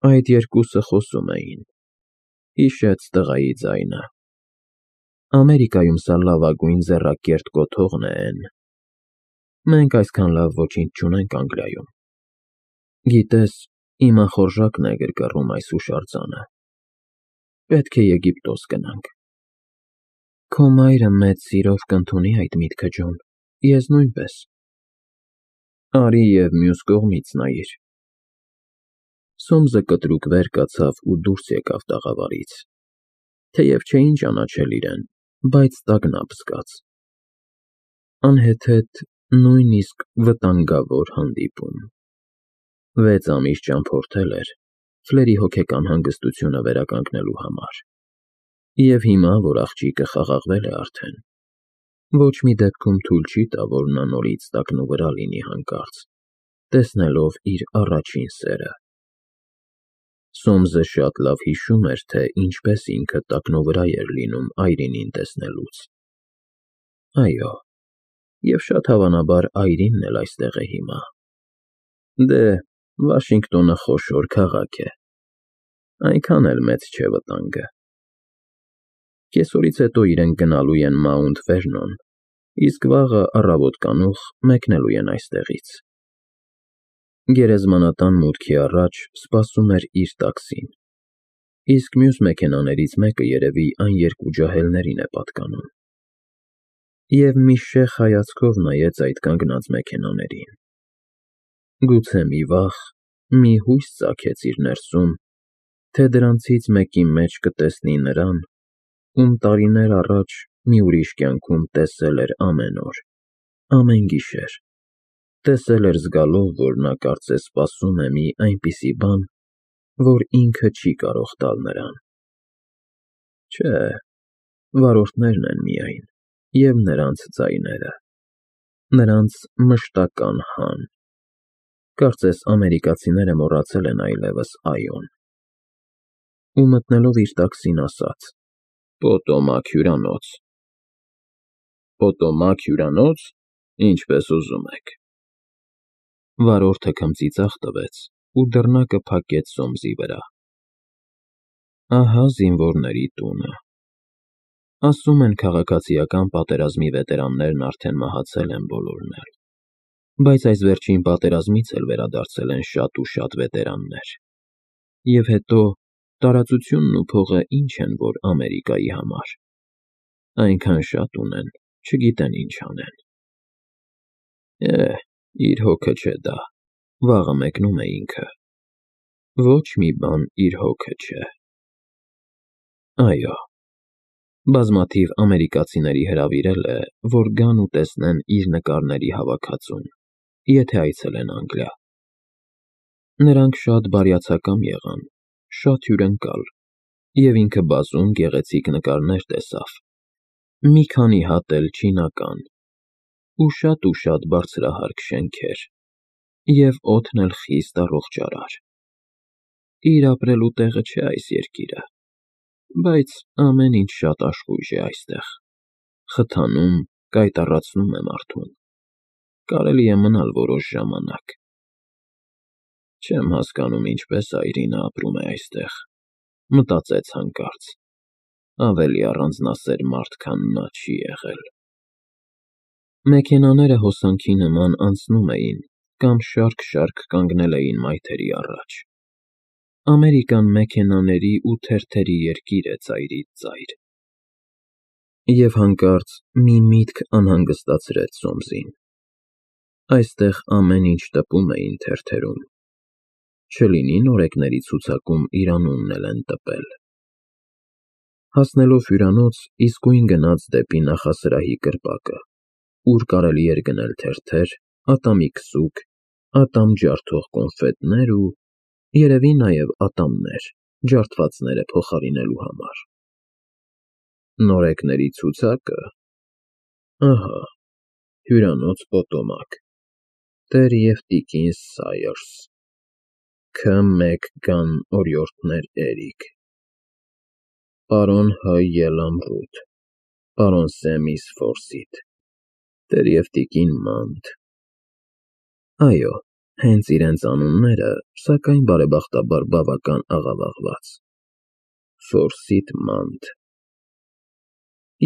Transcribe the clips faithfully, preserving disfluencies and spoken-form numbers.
Այդ երկուսը խոսում էին, հիշեց տղայի ձայնը։ Ամերիկայում սա լավագույն ձեռակերտ կոթողն է են։ Մենք այսքան լավ ոչինչ չունենք Անգլիայում։ Գիտես, իմ ախորժակն է գրգռում այս հուշարձանը։ Պետք է Եգիպտոս գնանք։ Քո մայրը մեծ սիրով կընդունի այդ միտքը, Ջոն, ես նույնպես։ Արի և մյուս կողմից նայիր։ Սոմսը կտրուկ վեր կացավ ու դուրս եկավ տաղավարից, թեև չէին ճանաչել իրեն, բայց տագնապ զգաց։ Անհեթեթ, նույնիսկ վտանգավոր հանդիպում։ Վեց ամիս ճամփորդել էր Ֆլերի հոգեկան հանգստությունը վերականգնելու համար։ Եվ հիմա, որ աղջիկը խաղաղվել է արդեն, ոչ մի դեպքում թույլ չի տա, որ նա նորից տակնուվրա լինի հանկարծ, տեսնելով իր առաջին սերը։ Սոմսը շատ լավ հիշում էր, թե ինչպես ինքը տակնուվրա էր լինում այրինին տեսնելուց։ Այո, և շատ հավանաբար այրինն էլ այստեղ է հիմա։ Դե, Վաշինգտոնը խոշոր քաղաք է, այնքան էլ մեծ չէ վտանգը։ Կեսօրից հետո իրենք գնալու են Մաունտ Վերնոն, իսկ վաղը առավոտ կանուխ մեկնելու են այստեղից։ Գերեզմանատան մուտքի առաջ սպասում էր իր տաքսին, իսկ մյուս մեքենաներից մեկը երևի այն երկու ջահելներին է պատկանում։ Եվ մի շեխ հայացքով նայեց այդ կանգնած մեքենաներին։ Գուցե մի վախ, մի հույս ծագեց իր ներսում, թե դրանցից մեկի մեջ կտեսնի նրան, ում տարիներ առաջ մի ուրիշ կյանքում տեսել էր ամեն օր, ամեն գիշեր, տեսել էր զգալով, որ նա կարծես սպասում է մի այնպիսի բան, որ ինքը չի կարող տալ նրան։ Չէ, վարորդներն են միայն, և նրանց ձայները, նրանց մշտական հան։ Կարծես ամերիկացիները մոռացել են այլևս «այո»-ն։ Ու մտնելով իր տաքսին ասաց. «Պոտոմակ հյուրանոց»։ Պոտոմակ հյուրանո՞ց, ինչպես ուզում եք։ Վարորդը քմծիծաղ տվեց ու դռնակը փակեց Սոմսի վրա։ Ահա զինվորների տունը։ Ասում են, քաղաքացիական պատերազմի վետերաններն արդեն մահացել են բոլորն էլ, բայց այս վերջին պատերազմից էլ վերադարձել են շատ ու շատ վետերաններ։ Եվ հետո, տարածությունն ու փողը ինչ են, որ Ամերիկայի համար։ Այնքան շատ ունեն, չգիտեն ինչ անեն։ Է, իր հոգը չէ դա, վաղը մեկնում է ինքը։ Ոչ մի բան իր հոգը չէ։ Այո, բազմաթիվ ամերիկացիների հրավիրել է, որ գան ու տեսնեն իր նկարների հավաքածուն, եթե այցելեն Անգլիա։ Նրանք շատ բարյացակամ եղան, շատ հյուրընկալ, և ինքը բազում գեղեցիկ նկարներ տեսավ, մի քանի հատ էլ չինական, ու շատ ու շատ բարձրահարկ շենքեր, և օդն էլ խիստ առողջարար։ Իր ապրելու տեղը չէ այս երկիրը, բայց ամեն ինչ շատ աշխույժ է այստեղ, խթանում, կայտառացնում է մարդուն, կարելի է մնալ որոշ ժամանակ։ Չեմ հասկանում, ինչպես այրինը ապրում է այստեղ, մտածեց հանկարծ, ավելի առանձնասեր մարդ, քան նա չի եղել։ Մեքենաները հոսանքի նման անցնում էին կամ շարք-շարք կանգնել էին մայթերի առաջ։ Ամերիկան մեքենաների ու թերթերի երկիր է ծայրից ծայր։ Եվ հանկարծ մի միտք անհանգստացրեց Սոմսին։ Այստեղ ամեն ինչ տպում էին թերթերում։ Չլինի նորեկների ցուցակում իր անունն էլ են տպել։ Հասնելով հյուրանոց, իսկույն գնաց դեպի նախասրահի կրպակը, ուր կարելի էր գնել թերթեր, ատամի քսուկ, ատամ ջարդող կոնֆետներ ու, երևի նաև ատամներ, ջարդվածները փոխարինելու համար։ Նորեկների ցուցակը։ Ահա, հյուրանոց Պոտոմակ, տեր և տիկին Սայըրս, Ք Մեկգան օրիորդներ Էրիկ, պարոն Հ Ելամ Ռութ, պարոն Սեմիս Ֆորսիթ, տեր և տիկին Մանտ։ Այո, Հենց իրենց անունները, սակայն բարեբախտաբար բավական աղավաղված. Ֆորսիթ Մանդ։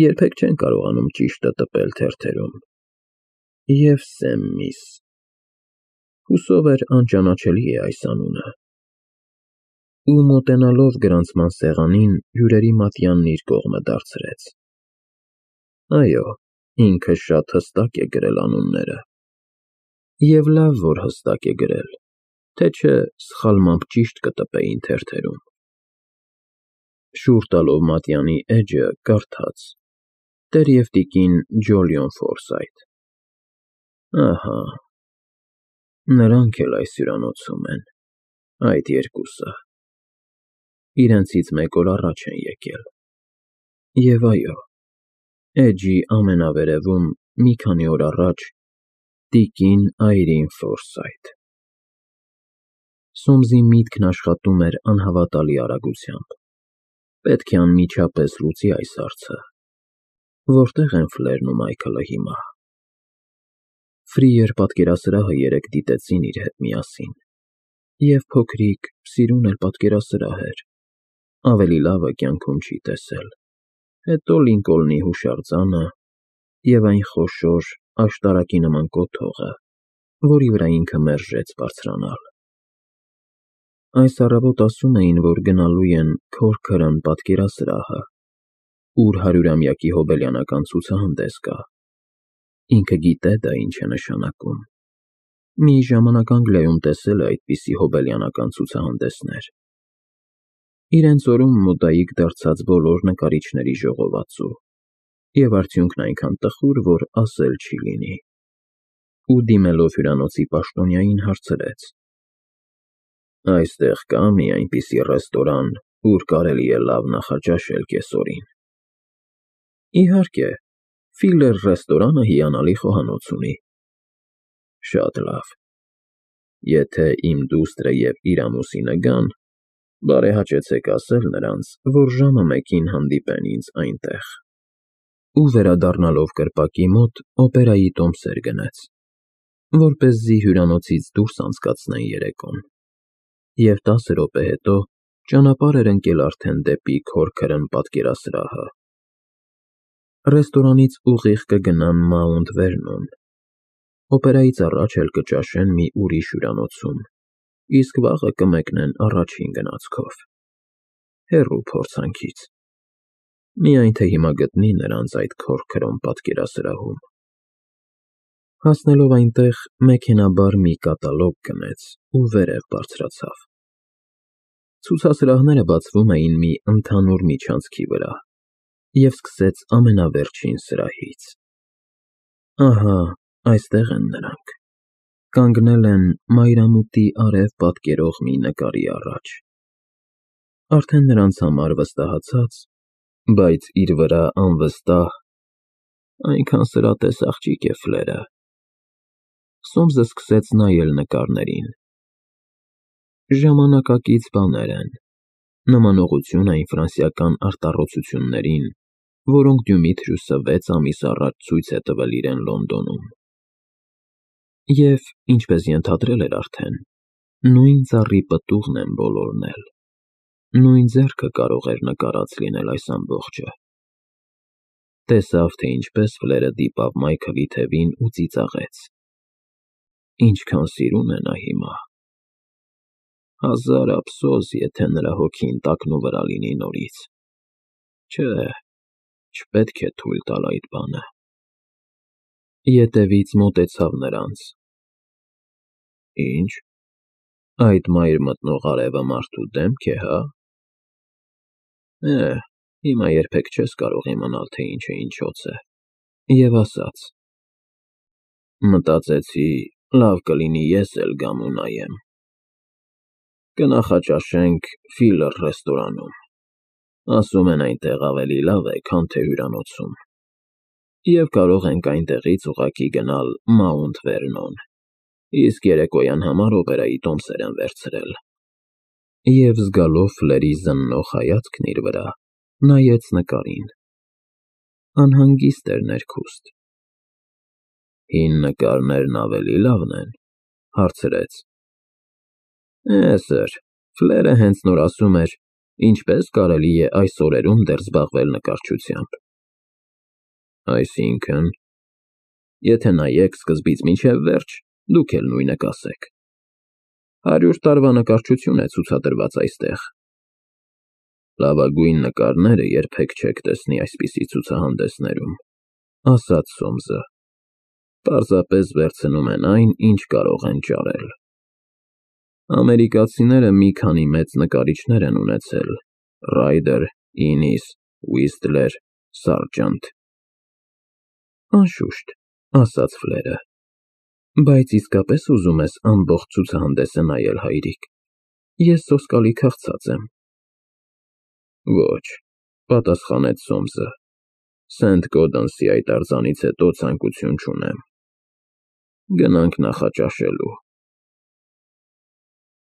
Երբեք չեն կարողանում ճիշտը տպել թերթերում։ Եվ Սեմմիս։ Հուսով էր անճանաչելի է այս անունը։ Ու մոտենալով գրանցման սեղանին, հյուրերի մատյանն իր կողմը դարձրեց։ Այո, ինքը շատ հստակ է գրել անունները։ Եվ լավ, որ հստակ է գրել, թե չէ սխալմամբ ճիշտ կտպեին թերթերում։ Շուռ տալով մատյանի էջը, կարդաց. Տեր և տիկին Ջոլիոն Ֆորսայթ։ Ահա, նրանք էլ այս հյուրանոցում են, այդ երկուսը։ Իրենցից մեկ օր առաջ են եկել։ Եվ այո, էջի ամենավերևում, մի քանի օր առաջ, տիկին Այրին Ֆորսայթ։ Սոմսի միտքն աշխատում էր անհավատալի արագությամբ։ Պետք է անմիջապես լուծի այս հարցը։ Որտե՞ղ են Ֆլերն ու Մայքլը հիմա։ Ֆրիեր պատկերասրահը երեկ դիտեցին իր հետ միասին։ Եվ փոքրիկ, սիրուն էլ պատկերասրահ էր։ Ավելի լավը կյանքում չի տեսել։ Հետո Լինկոլնի հուշարձանը և այն խոշոր, աշտարակի նման կոթողը, որի վրա ինքը մերժեց բարձրանալ։ Այս առավոտ ասում էին, որ գնալու են Քորքրն պատկերասրահը, ուր հարյուրամյակի հոբելյանական ցուցահանդես կա։ Ինքը գիտե դա ինչ է նշանակում։ Մի ժամանակ Անգլիայում տեսել է այդպիսի հոբելյանական ցուցահանդեսներ։ Իրենց օրում մոդայիկ դարձած բոլոր նկարիչների ժողովածու, և արդյունքն այնքան տխուր, որ ասել չի լինի։ Ու դիմելով հյուրանոցի պաշտոնյային հարցրեց. Այստեղ կա՞ մի այնպիսի ռեստորան, ուր կարելի է լավ նախաճաշել կեսօրին։ Իհարկե, Ֆիլլեր ռեստորանը հիանալի խոհանոց ունի։ Շատ լավ։ Եթե իմ դուստրը և իր ամուսինը գան, բարեհաճեցեք ասել նրանց, որ ժամը մեկին հանդիպեն ինձ այնտեղ։ Ու վերադառնալով կրպակի մոտ, օպերայի տոմսեր գնեց, որպեսզի հյուրանոցից դուրս անցկացնեն երեկոն։ Եվ տասը րոպե հետո ճանապարհ էր ընկել արդեն դեպի Քորքրն պատկերասրահը։ Ռեստորանից ուղիղ կգնան Մաունտ Վերնոն։ Օպերայից առաջ էլ կճաշեն մի ուրիշ հյուրանոցում, իսկ վաղը կմեկնեն առաջին գնացքով։ Հեռու փորձանքից։ Միայն թե հիմա գտնի նրանց այդ Քորքրոն պատկերասրահում։ Հասնելով այնտեղ, մեքենայաբար մի կատալոգ գնեց ու վերև բարձրացավ։ Ցուցասրահները բացվում էին մի ընդհանուր միջանցքի վրա, և սկսեց ամենավերջին սրահից։ Ահա, այստեղ են նրանք։ Կանգնել են մայրամուտի արև պատկերող մի նկարի առաջ։ Արդեն նրանց համար վստահացած, բայց իր վրա անվստահ, այնքան սրատես աղջիկ է Ֆլերը։ Սոմսը սկսեց նայել նկարներին։ Ժամանակակից բաներ են, նմանողություն այն ֆրանսիական արտառոցություններին, որոնք Դյումիթրյուսը վեց ամիս առաջ ցույց է տվել իրեն Լոնդոնում։ Եվ, ինչպես ենթադրել էր արդեն, նույն ծառի պտուղն են բոլորն էլ, նույն ձեռքը կարող էր նկարած լինել այս ամբողջը։ Տեսավ, թե ինչպես Ֆլերը դիպավ Մայքլի թևին ու ծիծաղեց։ Ինչքան սիրուն է նա հիմա։ Հազար ափսոս, եթե նրա հոգին տակնուվրա լինի նորից։ Չէ, չպետք է թույլ տալ այդ բանը։ Ետևից մոտեցավ նրանց։ Ինչ, այդ մայր մտնող արևը մարդու դեմք է, հա։ Է, հիմա երբեք չես կարող իմանալ, թե ինչը ինչոց է։ Եվ ասաց. Մտածեցի, լավ կլինի ես էլ գամ ու նայեմ։ Կնախաճաշենք Ֆիլլեր ռեստորանում։ Ասում են այնտեղ ավելի լավ է, քան թե հյուրանոցում։ Եվ կարող ենք այնտեղից ուղղակի գնալ Մաունտ Վերնոն, իսկ երեկոյան համար օպերայի տոմսեր են վերցրել։ Եվ զգալով Ֆլերի զննող հայացքն իր վրա, նայեց նկարին։ Անհանգիստ էր ներքուստ։ Հին նկարներն ավելի լավն են, հարցրեց. Է, սըր, Ֆլերը հենց նոր ասում էր, ինչպես կարելի է այս օրերում դեռ զբաղվել նկարչությամբ։ Այսինքն, եթե նայեք սկզբից մինչև վերջ, դուք էլ նույնը կասեք։ Հարյուր տարվա նկարչություն է ցուցադրված այստեղ։ Լավագույն նկարները երբեք չեք տեսնի այսպիսի ցուցահանդեսներում, ասաց Սոմսը։ Պարզապես վերցնում են այն, ինչ կարող են ճարել։ Ամերիկացիները մի քանի մեծ նկարիչներ են ունեցել՝ Ռայդեր, Ինիս, Ուիսթլեր, Սարջանտ։ Անշուշտ, ասաց Ֆլերը, բայց իսկապես ուզում ես ամբողջ ցուցահանդեսը նայել, հայրիկ, ես սոսկալի քաղցած եմ։ Ոչ, պատասխանեց Սոմսը, Սենթ Գոդենսի այդ արձանից հետո ցանկություն չունեմ։ Գնանք նախաճաշելու։